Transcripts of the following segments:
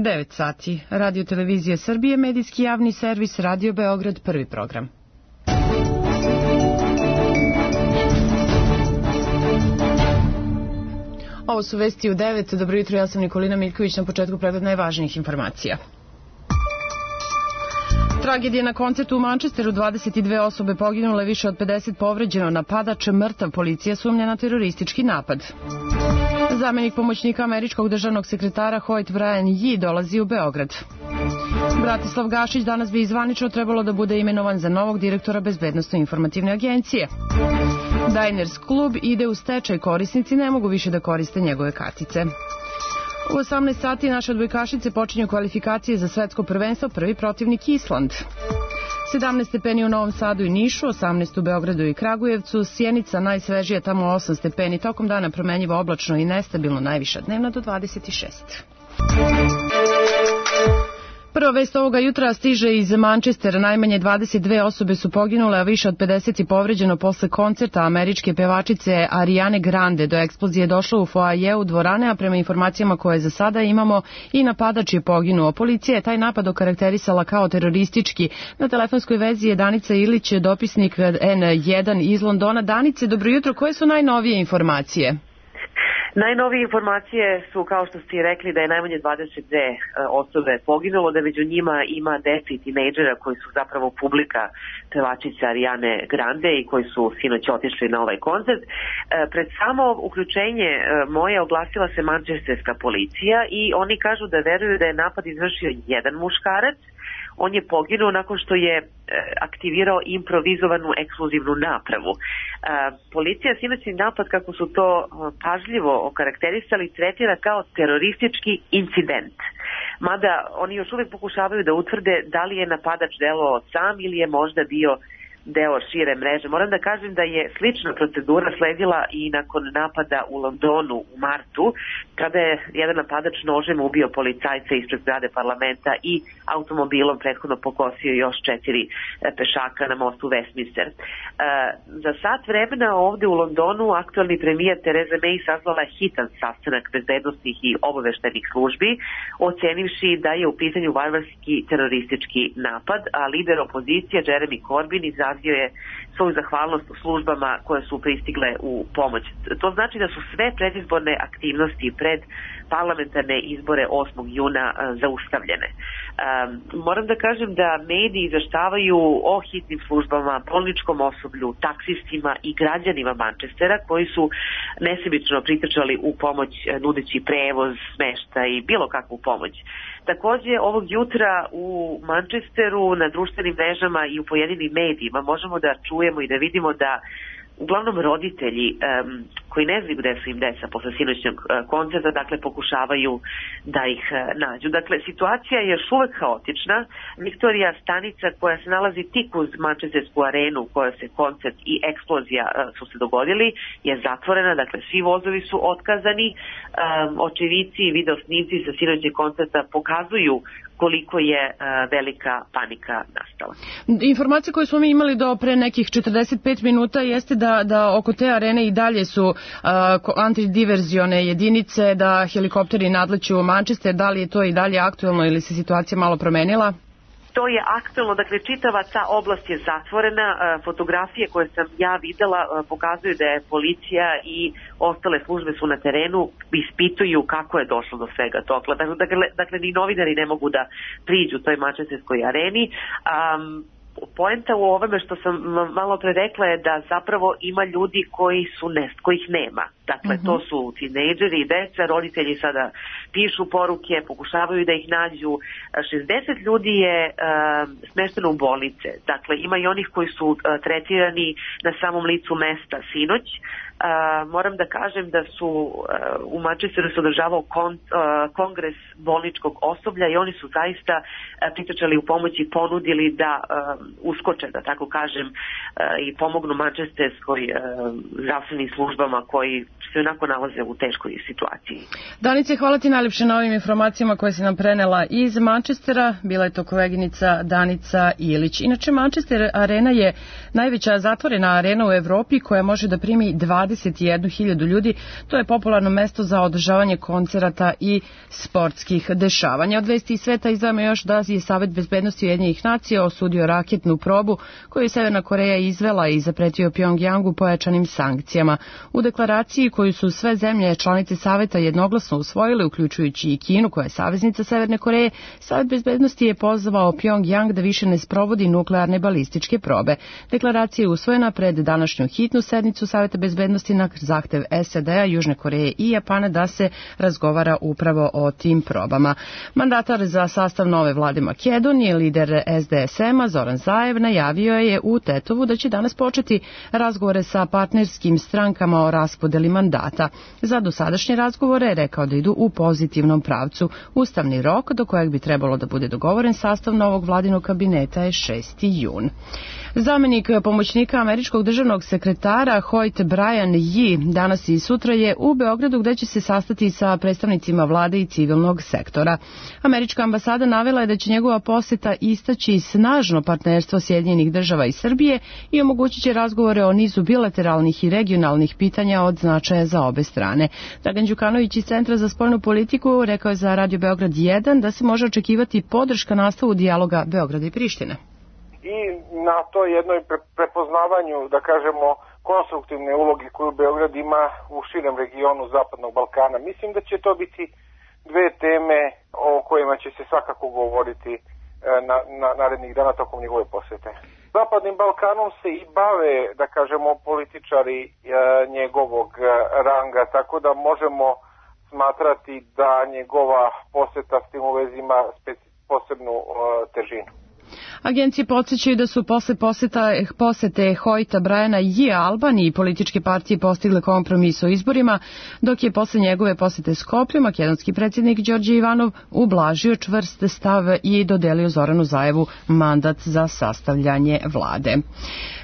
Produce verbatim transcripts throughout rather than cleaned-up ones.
devet sati. Radio Televizija Srbije, medijski javni servis, Radio Beograd, prvi program. Ovo su vesti u devet. Dobro jutro, ja sam Nikolina Miljković, na početku pregled najvažnijih informacija. Tragedija na koncertu u Manchesteru, dvadeset dve osobe poginule, više od pedeset povređeno, napadač mrtav, policija sumnja na teroristički napad. Zamenik pomoćnika američkog državnog sekretara Hoyt Brian Yee dolazi u Beograd. Bratislav Gašić danas bi zvanično trebalo da bude imenovan za novog direktora Bezbednosno-informativne agencije. Diners klub ide u stečaj, korisnici ne mogu više da koriste njegove kartice. U osamnaest sati naše odbojkašice počinju kvalifikacije za svetsko prvenstvo, prvi protivnik Island. sedamnaest stepeni u Novom Sadu i Nišu, osamnaest u Beogradu i Kragujevcu, Sjenica najsvežija, tamo osam stepeni, tokom dana promenjivo oblačno i nestabilno, najviša dnevna do dvadeset šest. Prva vest ovoga jutra stiže iz Manchestera. Najmanje dvadeset dve osobe su poginule, a više od pedeset je povređeno posle koncerta američke pevačice Ariane Grande. Do eksplozije je došlo u foajeu dvorane, a prema informacijama koje za sada imamo i napadač je poginuo. Policija je taj napad okarakterisala kao teroristički. Na telefonskoj vezi je Danica Ilić, dopisnik en jedan iz Londona. Danice, dobro jutro, koje su najnovije informacije? Najnovije informacije su, kao što ste rekli, da je najmanje dvadeset dve osobe poginulo, da među njima ima dece i tinejdžera koji su zapravo publika pevačice Ariane Grande i koji su sinoć otišli na ovaj koncert. Pred samo uključenje moje oglasila se mančesterska policija i oni kažu da veruju da je napad izvršio jedan muškarac. On je poginuo nakon što je aktivirao improvizovanu eksplozivnu napravu. Policija sinoćni napad, kako su to pažljivo okarakterisali, tretira kao teroristički incident. Mada oni još uvijek pokušavaju da utvrde da li je napadač delovao sam ili je možda bio deo šire mreže. Moram da kažem da je slična procedura sledila i nakon napada u Londonu u martu, kada je jedan napadač nožem ubio policajca ispred zgrade parlamenta i automobilom prethodno pokosio još četiri pešaka na mostu Westminster. E, za sat vremena ovde u Londonu aktualni premijer Theresa May sazvala je hitan sastanak bezbednosnih i obaveštajnih službi, ocenivši da je u pitanju varvarski teroristički napad, a lider opozicije Jeremy Corbyn izrazio je svoju zahvalnost u službama koje su pristigle u pomoć. To znači da su sve predizborne aktivnosti pred parlamentarne izbore osmog juna zaustavljene. Um, moram da kažem da mediji izveštavaju o hitnim službama, bolničkom osoblju, taksistima i građanima Manchestera koji su nesebično pritrčali u pomoć nudeći prevoz, smeštaj i bilo kakvu pomoć. Takođe, ovog jutra u Manchesteru na društvenim mrežama i u pojedinim medijima možemo da čujemo i da vidimo da uglavnom roditelji um, koji ne znaju gde su im deca posle sinoćnog uh, koncerta, dakle pokušavaju da ih uh, nađu. Dakle, situacija je još uvek haotična. Victoria stanica koja se nalazi tik uz Manchestersku arenu u kojoj se koncert i eksplozija uh, su se dogodili je zatvorena, dakle svi vozovi su otkazani. Um, očevici i video snimci sa sinoćnog koncerta pokazuju koliko je uh, velika panika nastala. Informacija koju smo mi imali do pre nekih četrdeset pet minuta jeste da, da oko te arene i dalje su uh, antidiverzione jedinice, da helikopteri nadleću u Manchester. Da li je to i dalje aktuelno ili se situacija malo promenila? To je aktuelno, dakle čitava ta oblast je zatvorena, fotografije koje sam ja videla pokazuju da je policija i ostale službe su na terenu, ispituju kako je došlo do svega toga. Dakle, dakle ni novinari ne mogu da priđu toj mančesterskoj areni. Um, Poenta u ovome što sam malo pre rekla je da zapravo ima ljudi koji su nest, kojih nema. Dakle, uh-huh. to su tinejdžeri i deca, roditelji sada pišu poruke, pokušavaju da ih nađu. šezdeset ljudi je uh, smešteno u bolnice. Dakle, ima i onih koji su uh, tretirani na samom licu mesta sinoć. Uh, moram da kažem da su uh, u Manchesteru se održavao kon, uh, kongres bolničkog osoblja i oni su zaista uh, pritrčali u pomoć i ponudili da uh, uskoče, da tako kažem, uh, i pomognu manchesterskoj uh, zdravstvenim službama koji se onako nalaze u teškoj situaciji. Danice, hvala ti najljepše na ovim informacijama koje si nam prenela iz Manchestera. Bila je to koleginica Danica Ilić. Inače, Manchester Arena je najveća zatvorena arena u Evropi koja može da primi dvadeset jednu hiljadu ljudi. To je popularno mesto za održavanje koncerata i sportskih dešavanja. Od vesti iz sveta izdvajamo još da je Savet bezbednosti Ujedinjenih nacija osudio raketnu probu koju je Severna Koreja izvela i zapretio Pjongjangu pojačanim sankcijama. U deklaraciji koju su sve zemlje članice Saveta jednoglasno usvojile, uključujući i Kinu koja je saveznica Severne Koreje, Savet bezbednosti je pozvao Pjongjang da više ne sprovodi nuklearne balističke probe. Deklaracija je usvojena pred današnju hitnu sednicu Saveta bezbednosti na zahtev S A D-a, Južne Koreje i Japana da se razgovara upravo o tim probama. Mandatar za sastav nove vlade Makedonije, lider S D S M-a Zoran Zaev, najavio je u Tetovu da će danas početi razgovore sa partnerskim strankama o raspodeli mandata. Za dosadašnje razgovore je rekao da idu u pozitivnom pravcu. Ustavni rok do kojeg bi trebalo da bude dogovoren sastav novog vladinog kabineta je šesti jun. Zamenik pomoćnika američkog državnog sekretara Hoyt Brian Yee danas i sutra je u Beogradu gde će se sastati sa predstavnicima vlade i civilnog sektora. Američka ambasada navela je da će njegova poseta istaći snažno partnerstvo Sjedinjenih država i Srbije i omogućit će razgovore o nizu bilateralnih i regionalnih pitanja od značaja za obe strane. Dragan Đukanović iz Centra za spoljnu politiku rekao je za Radio Beograd jedan da se može očekivati podrška nastavu dijaloga Beograda i Prištine. I na toj jednoj prepoznavanju, da kažemo, konstruktivne uloge koju Beograd ima u širem regionu Zapadnog Balkana. Mislim da će to biti dve teme o kojima će se svakako govoriti na, na narednih dana tokom njegove posete. Zapadnim Balkanom se i bave, da kažemo, političari e, njegovog ranga, tako da možemo smatrati da njegova poseta s tim u vezi ima posebnu e, težinu. Agencije podsjećaju da su posle poseta, posete Hoyta Briana Yee Albaniji političke partije postigle kompromis o izborima, dok je posle njegove posete Skoplju makedonski predsjednik Đorđe Ivanov ublažio čvrst stav i dodelio Zoranu Zaevu mandat za sastavljanje vlade.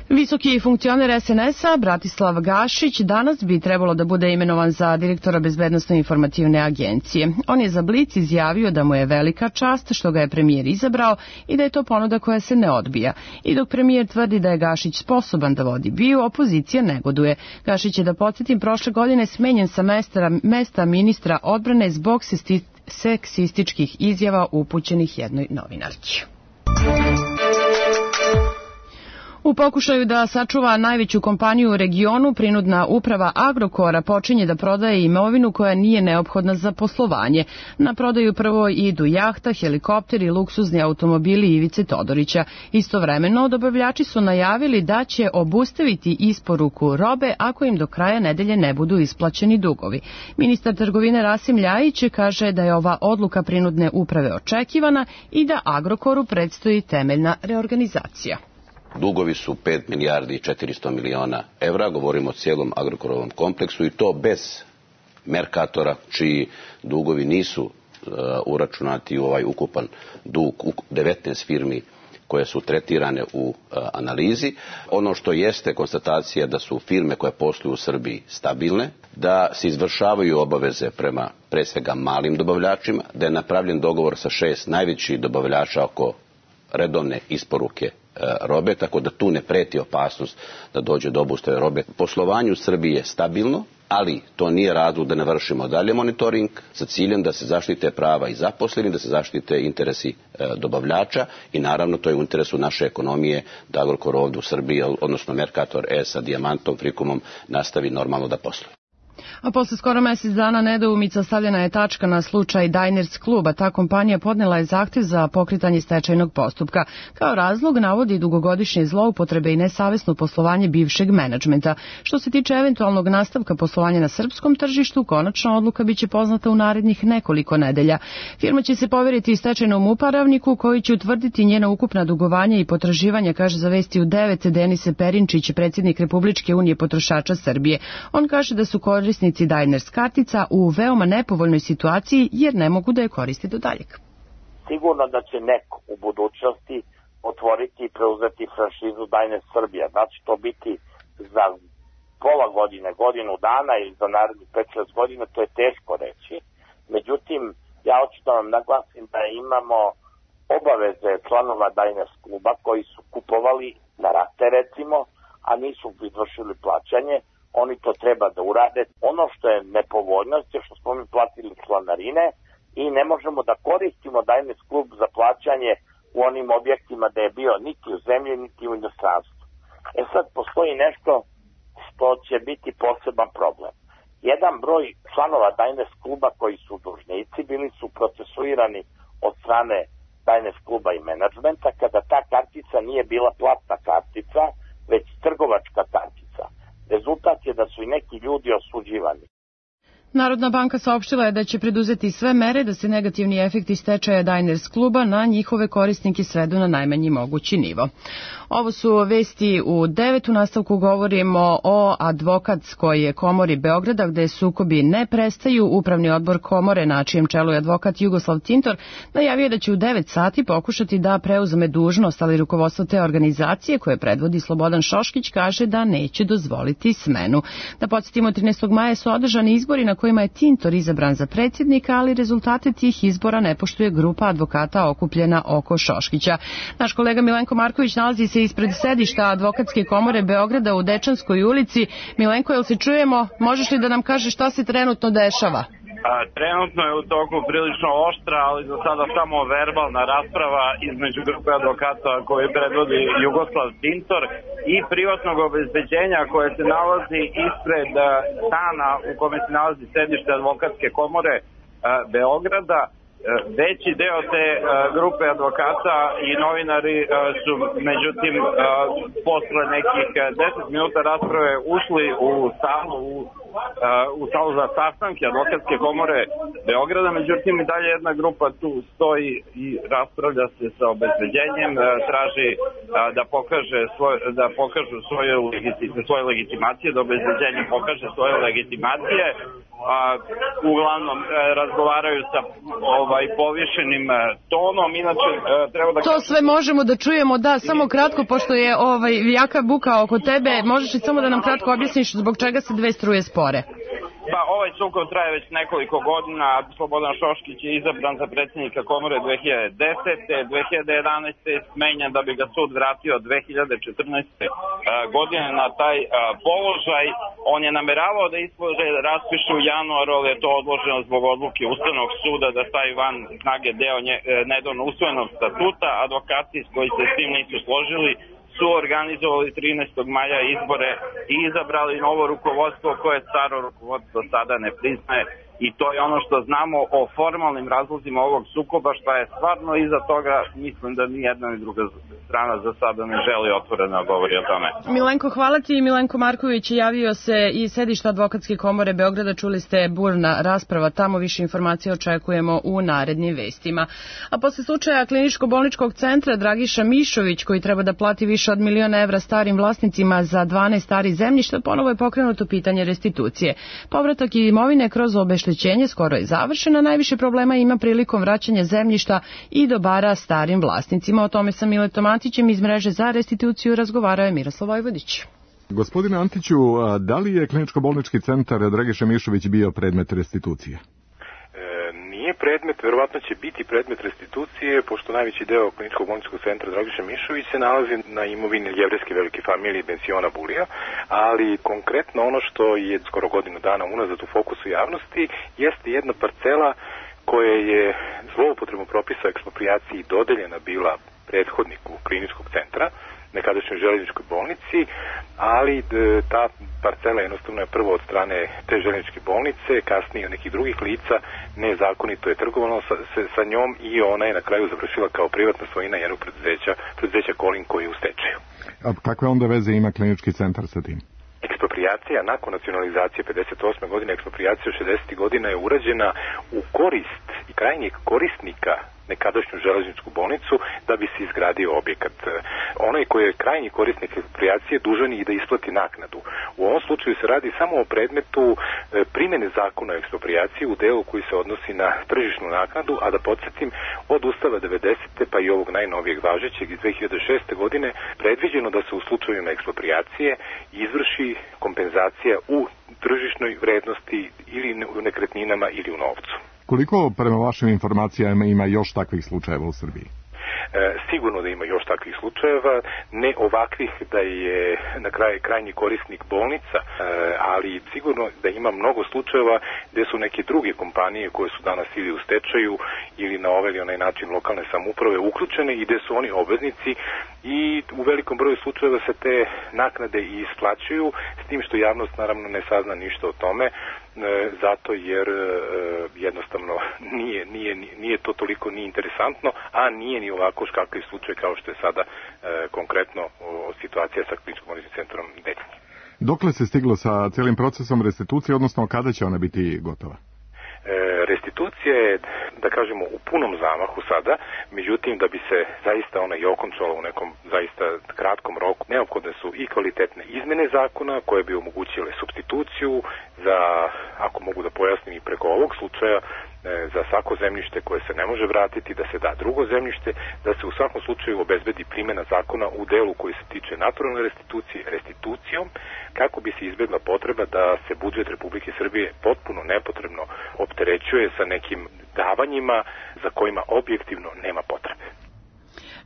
Visoki funkcioner S N S-a Bratislav Gašić danas bi trebalo da bude imenovan za direktora Bezbednosno informativne agencije. On je za Blic izjavio da mu je velika čast što ga je premijer izabrao i da je to ponuda koja se ne odbija. I dok premijer tvrdi da je Gašić sposoban da vodi BIA, opozicija negoduje. Gašić je, da podsjetim, prošle godine smenjen sa mesta, mesta ministra odbrane zbog seksističkih izjava upućenih jednoj novinarki. U pokušaju da sačuva najveću kompaniju u regionu, prinudna uprava Agrokora počinje da prodaje imovinu koja nije neophodna za poslovanje. Na prodaju prvo idu jahta, helikopteri i luksuzni automobili Ivice Todorića. Istovremeno, dobavljači su najavili da će obustaviti isporuku robe ako im do kraja nedelje ne budu isplaćeni dugovi. Ministar trgovine Rasim Ljajić kaže da je ova odluka prinudne uprave očekivana i da Agrokoru predstoji temeljna reorganizacija. Dugovi su pet milijardi i četiristo miliona evra, govorimo o cijelom Agrokorovom kompleksu i to bez Merkatora, čiji dugovi nisu uh, uračunati u ovaj ukupan dug devetnaest firmi koje su tretirane u uh, analizi. Ono što jeste konstatacija da su firme koje posluju u Srbiji stabilne, da se izvršavaju obaveze prema pre svega malim dobavljačima, da je napravljen dogovor sa šest najvećih dobavljača oko redovne isporuke robe, tako da tu ne preti opasnost da dođe do obustave robe. Poslovanje u Srbiji je stabilno, ali to nije razlog da ne vršimo dalje monitoring sa ciljem da se zaštite prava i zaposlenih, da se zaštite interesi dobavljača i naravno to je u interesu naše ekonomije da Agrokor ovdje u Srbiji, odnosno Merkator E sa Dijamantom, Frikomom nastavi normalno da posluje. A posle skoro mjesec dana nedoumica stavljena je tačka na slučaj Diners kluba. Ta kompanija podnela je zahtjev za pokretanje stečajnog postupka. Kao razlog navodi dugogodišnje zloupotrebe i nesavesno poslovanje bivšeg menadžmenta. Što se tiče eventualnog nastavka poslovanja na srpskom tržištu, konačna odluka biće poznata u narednih nekoliko nedelja. Firma će se poveriti stečajnom upravniku koji će utvrditi njena ukupna dugovanja i potraživanja, kaže za Vesti u devet Denise Perinčić, predsjednik Republičke unije potrošača Srbije. On kaže da su korisnici Diners kartica u veoma nepovoljnoj situaciji jer ne mogu da je koriste do daljeg. Sigurno da će neko u budućnosti otvoriti i preuzeti franšizu Diners Srbija. Znači to biti za pola godine, godinu dana ili za narednih pet šest godina, to je teško reći. Međutim, ja hoću da vam naglasim da imamo obaveze članova Diners kluba koji su kupovali na rate recimo, a nisu izvršili plaćanje. Oni to treba da urade. Ono što je nepovoljnost je što smo mi platili članarine i ne možemo da koristimo Diners klub za plaćanje u onim objektima da je bio niti u zemlji, niti u inostranstvu. E sad postoji nešto što će biti poseban problem. Jedan broj članova Diners kluba koji su dužnici bili su procesuirani od strane Diners kluba i menadžmenta kada ta kartica nije bila platna kartica, već trgovačka kartica. Rezultat je da su i neki ljudi osuđivani. Narodna banka saopštila je da će preduzeti sve mere da se negativni efekti stečaja Diners kluba na njihove korisnike svedu na najmanji mogući nivo. Ovo su vesti u devet. U nastavku govorimo o advokatskoj komori Beograda gde sukobi ne prestaju. Upravni odbor komore, na čijem čelu je advokat Jugoslav Tintor, najavio da će u devet sati pokušati da preuzme dužnost, ali rukovodstvo te organizacije koje predvodi Slobodan Šoškić kaže da neće dozvoliti smenu. Da podsjetimo, trinaestog maja su održani izbori na kojima je Tintor izabran za predsjednika, ali rezultate tih izbora ne poštuje grupa advokata okupljena oko Šoškića. Naš kolega Milenko Marković nalazi se ispred sedišta Advokatske komore Beograda u Dečanskoj ulici. Milenko, jel se čujemo? Možeš li da nam kažeš šta se trenutno dešava? A, trenutno je u toku prilično oštra, ali za sada samo verbalna rasprava između grupe advokata koje predvodi Jugoslav Tintor i privatnog obezbeđenja koje se nalazi ispred stana u kome se nalazi sedište Advokatske komore a, Beograda. Veći deo te uh, grupe advokata i novinari uh, su međutim uh, posle nekih deset minuta rasprave ušli u salu u, uh, u salu za sastanke Advokatske komore Beograda, međutim i dalje jedna grupa tu stoji i raspravlja se sa obezbeđenjem, uh, traži uh, da pokaže svoj, da pokažu svoje, legiti, svoje legitimacije, da obezbeđenje pokaže svoje legitimacije. A, uglavnom e, razgovaraju sa ovaj povišenim e, tonom, inače e, treba da... To sve možemo da čujemo, da, samo kratko, pošto je ovaj jaka buka oko tebe, možeš li samo da nam kratko objasniš zbog čega se dve struje spore? Pa ovaj sukob traje već nekoliko godina. Slobodan Šoškić je izabran za predsjednika komore dve hiljade desete. dve hiljade jedanaeste. je smenjen da bi ga sud vratio dve hiljade četrnaeste. godine na taj položaj. On je nameravao da izbore raspiše u januaru, ali je to odloženo zbog odluke Ustavnog suda da stavi van snage deo nedavno usvojenog statuta. Advokati koji se s tim nisu složili su organizovali trinaestog maja izbore i izabrali novo rukovodstvo koje staro rukovodstvo sada ne priznaje. I to je ono što znamo o formalnim razlozima ovog sukoba, šta je stvarno iza toga, mislim da ni jedna ni druga strana za sada ne želi otvoreno govori o tome. Milenko, hvala ti. Milenko Marković javio se iz sedišta Advokatske komore Beograda, čuli ste burna rasprava, tamo više informacije očekujemo u narednim vestima. A posle slučaja kliničko-bolničkog centra Dragiša Mišović, koji treba da plati više od miliona evra starim vlasnicima za dvanaest stari zemljišta, ponovo je pokrenuto pitanje restitucije. Povratak imovine kroz obeštećenje skoro je završena, najviše problema ima prilikom vraćanja zemljišta i dobara starim vlasnicima. O tome sa Miletom Antićem iz mreže za restituciju razgovarao je Miroslav Vojvodić. Gospodine Antiću, da li je kliničko-bolnički centar Dragiša Mišović bio predmet restitucije? Nije predmet, verovatno će biti predmet restitucije, pošto najveći deo kliničkog bolničkog centra Dragiša Mišović se nalazi na imovini jevrejske velike familije Bensiona Bulija, ali konkretno ono što je skoro godinu dana unazad u fokusu javnosti jeste jedna parcela koja je zloupotrebom propisa o eksproprijaciji dodeljena bila prethodniku kliničkog centra, nekadašnjoj željezničkoj bolnici, ali ta parcela jednostavno je prvo od strane te željezničke bolnice, kasnije od nekih drugih lica, nezakonito je trgovano sa, sa, sa njom i ona je na kraju završila kao privatna svojina jednog preduzeća, preduzeća Kolin koji je u stečaju. A kakve onda veze ima klinički centar sa tim? Eksproprijacija nakon nacionalizacije pedeset osme godine, eksproprijacija šezdesetih godina je urađena u korist i krajnjeg korisnika nekadašnju železničku bolnicu da bi se izgradio objekat. Onaj koji je krajnji korisnik eksproprijacije dužan i da isplati naknadu. U ovom slučaju se radi samo o predmetu primjene zakona o eksproprijaciji u delu koji se odnosi na tržišnu naknadu, a da podsjetim, od Ustava devedesete pa i ovog najnovijeg važećeg iz dve hiljade šeste. godine predviđeno da se u slučajevima eksproprijacije izvrši kompenzacija u tržišnoj vrednosti ili u nekretninama ili u novcu. Koliko prema vašim informacijama ima još takvih slučajeva u Srbiji? E, sigurno da ima još takvih slučajeva, ne ovakvih da je na kraju krajnji korisnik bolnica, e, ali sigurno da ima mnogo slučajeva gdje su neke druge kompanije koje su danas ili u stečaju ili na ovaj ili onaj način lokalne samouprave uključene i gdje su oni obveznici i u velikom broju slučajeva se te naknade i isplaćuju, s tim što javnost naravno ne sazna ništa o tome, e, zato jer e, jednostavno nije, nije, nije to toliko ni interesantno, a nije ni ovako škakav slučaj kao što je sada e, konkretno o, situacija sa Kliničkim bolničkim centrom Detinje. Dokle se stiglo sa cijelim procesom restitucije, odnosno kada će ona biti gotova? Restitucija je, da kažemo, u punom zamahu sada, međutim, da bi se zaista ona i okončala u nekom zaista kratkom roku, neophodne su i kvalitetne izmene zakona koje bi omogućile supstituciju za, ako mogu da pojasnim i preko ovog slučaja, za svako zemljište koje se ne može vratiti, da se da drugo zemljište, da se u svakom slučaju obezbedi primjena zakona u delu koji se tiče naturalne restitucije restitucijom, kako bi se izbjegla potreba da se budžet Republike Srbije potpuno nepotrebno opterećuje sa nekim davanjima za kojima objektivno nema potrebe.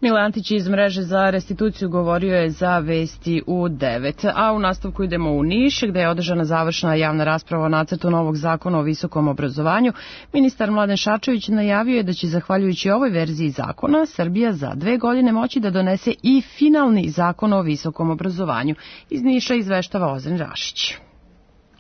Mile Antić iz mreže za restituciju govorio je za Vesti u devet. A u nastavku idemo u Niš, gde je održana završna javna rasprava o nacrtu novog zakona o visokom obrazovanju. Ministar Mladen Šarčević najavio je da će, zahvaljujući ovoj verziji zakona, Srbija za dve godine moći da donese i finalni zakon o visokom obrazovanju. Iz Niša izveštava Ozren Rašić.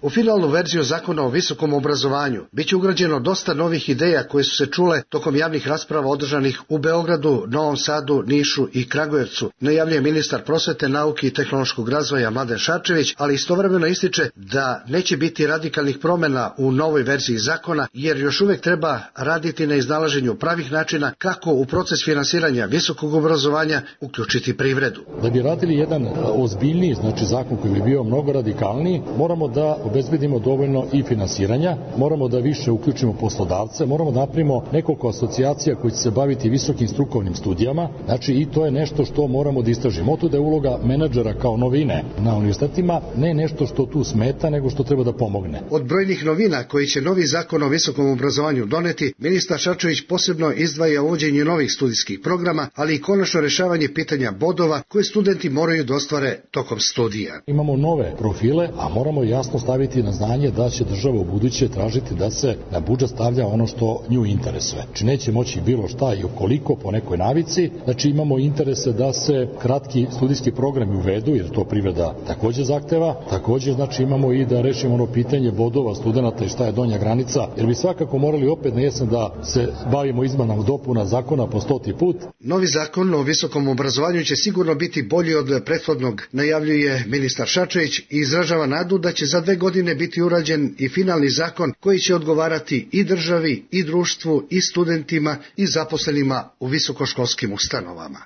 U finalnu verziju zakona o visokom obrazovanju biće ugrađeno dosta novih ideja koje su se čule tokom javnih rasprava održanih u Beogradu, Novom Sadu, Nišu i Kragujevcu, najavljuje ministar prosvete, nauke i tehnološkog razvoja Mladen Šarčević, ali istovremeno ističe da neće biti radikalnih promjena u novoj verziji zakona, jer još uvek treba raditi na iznalaženju pravih načina kako u proces finansiranja visokog obrazovanja uključiti privredu. Da bi radili jedan ozbiljniji, znači zakon koji bi bio mnogo radikalniji, moramo da obezbedimo dovoljno i finansiranja, moramo da više uključimo poslodavce, moramo da napravimo nekoliko asocijacija koji će se baviti visokim strukovnim studijama, znači i to je nešto što moramo da istražimo. Oto da je uloga menadžera kao novine na univerzitetima, ne nešto što tu smeta, nego što treba da pomogne. Od brojnih novina koji će novi zakon o visokom obrazovanju doneti, ministar Šarčević posebno izdvaja uvođenje novih studijskih programa, ali i konačno rešavanje pitanja bodova koje studenti moraju da ostvare tokom studija. Imamo nove profile, a moramo jasno staviti na znanje da će država u buduće tražiti da se na budžet stavlja ono što nju interesuje. Znači neće moći bilo šta i okoliko po nekoj navici. Znači imamo interese da se kratki studijski programi uvedu, jer to privreda također zahteva. Također znači imamo i da rešimo ono pitanje bodova studenata i šta je donja granica, jer bi svakako morali opet na jesen da se bavimo izmenama dopuna zakona po stoti put. Novi zakon o visokom obrazovanju će sigurno biti bolji od prethodnog, najavljuje ministar Šarčević i izražava nadu da će za dve godine biti urađen i finalni zakon koji će odgovarati i državi, i društvu, i studentima, i zaposlenima u visokoškolskim ustanovama.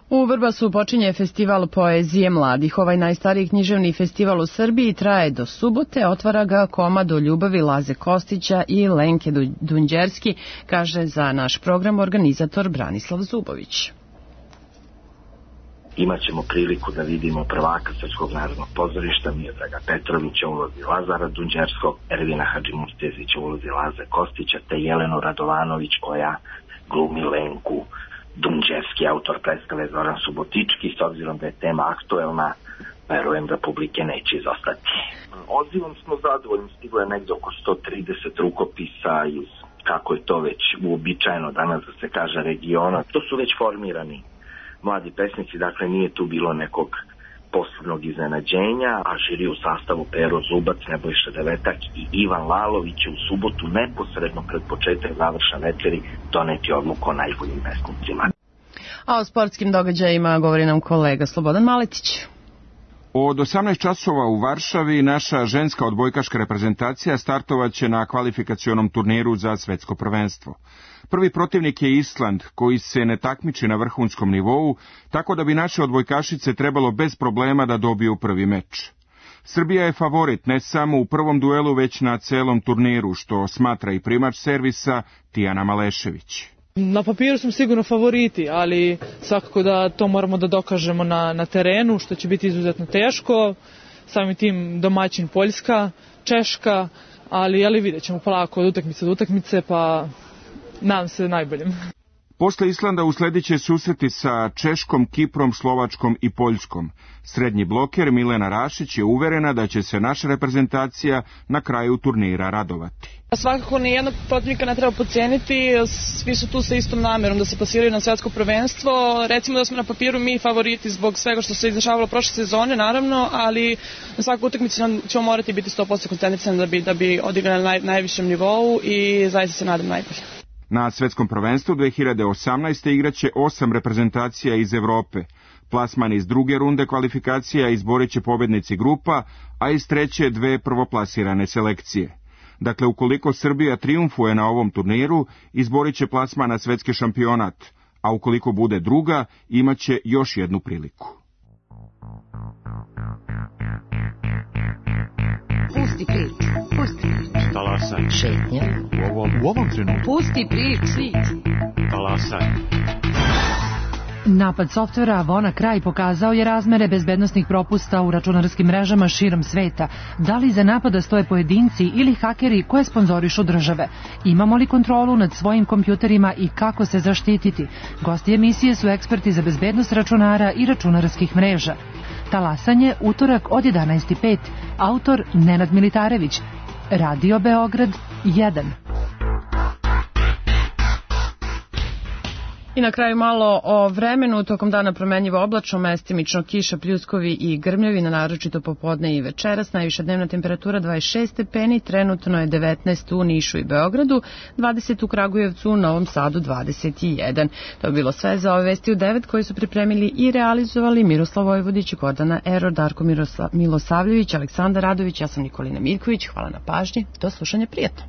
U Vrbasu počinje festival poezije mladih. Ovaj najstariji književni festival u Srbiji traje do subote. Otvara ga komad o ljubavi Laze Kostića i Lenke Dunđerski, kaže za naš program organizator Branislav Zubović. Imaćemo priliku da vidimo prvaka Srpskog narodnog pozorišta Miodraga Petrovića u ulozi Lazara Dunđerskog, Ervina Hadžimurtezića u ulozi Laze Kostića, te Jelenu Radovanović koja glumi Lenku Dunđerski. Autor predstave Zoran Subotički. S obzirom da je tema aktuelna, verujem da publike neće izostati. Odzivom smo zadovoljni, stiglo je negdje oko sto trideset rukopisa iz, kako je to već uobičajeno danas da se kaže, regiona. To su već formirani mladi pesnici, dakle nije tu bilo nekog posebnog iznenađenja, a žiri u sastavu Pero Zubac, Nebojša Devetak i Ivan Lalović u subotu neposredno pred početak završne večeri doneti odluku o najboljim pesnicima. A o sportskim događajima govori nam kolega Slobodan Maletić. Od osamnaest časova u Varšavi naša ženska odbojkaška reprezentacija startovaće na kvalifikacionom turniru za svetsko prvenstvo. Prvi protivnik je Island, koji se ne takmiči na vrhunskom nivou, tako da bi naše odbojkašice trebalo bez problema da dobiju prvi meč. Srbija je favorit ne samo u prvom duelu, već na celom turniru, što smatra i primač servisa Tijana Malešević. Na papiru smo sigurno favoriti, ali svakako da to moramo da dokažemo na, na terenu, što će biti izuzetno teško. Samim tim domaćin Poljska, Češka, ali, ali vidjet ćemo polako od utakmice do utakmice, pa nadam se najboljim. Posle Islanda usledit će susreti sa Češkom, Kiprom, Slovačkom i Poljskom. Srednji bloker Milena Rašić je uverena da će se naša reprezentacija na kraju turnira radovati. Svakako nijednog protivnika ne treba podcijeniti, svi su tu sa istom namerom da se plasiraju na svetsko prvenstvo. Recimo da smo na papiru mi favoriti zbog svega što se izdešavalo prošle sezone, naravno, ali na svaku utakmicu ćemo morati biti sto posto koncentrisani da bi, da bi odigrali na naj, najvišem nivou i zaista se nadam najbolje. Na svetskom prvenstvu dve hiljade osamnaeste igraće osam reprezentacija iz Evrope. Plasman iz druge runde kvalifikacija izborit će pobednici grupa, a iz treće dve prvoplasirane selekcije. Dakle, ukoliko Srbija trijumfuje na ovom turniru, izborit će plasman na svetski šampionat, a ukoliko bude druga, imaće još jednu priliku. Pusti priču, pusti priču. Talasaj. Šetnja. U ovom, u ovom trenutku. Pusti priču. Talasaj. Napad softvera WannaCry pokazao je razmere bezbednosnih propusta u računarskim mrežama širom sveta. Da li iza napada stoje pojedinci ili hakeri koje sponzorišu države? Imamo li kontrolu nad svojim kompjuterima i kako se zaštititi? Gosti emisije su eksperti za bezbednost računara i računarskih mreža. Talasanje, utorak od jedanaest i pet. Autor Nenad Militarević. Radio Beograd jedan. I na kraju malo o vremenu. Tokom dana promenljivo oblačno, mestimično kiša, pljuskovi i grmljevi, na naročito popodne i večeras. Najviša dnevna temperatura dvadeset šest stepeni, trenutno je devetnaest u Nišu i Beogradu, dvadeset u Kragujevcu, u Novom Sadu dvadeset jedan. To je bilo sve za ove vesti u devet koje su pripremili i realizovali Miroslav Vojvodić, Gordana Eror, Darko Mirosla, Milosavljević, Aleksandar Radović, ja sam Nikolina Miljković. Hvala na pažnji, do slušanja, prijatno.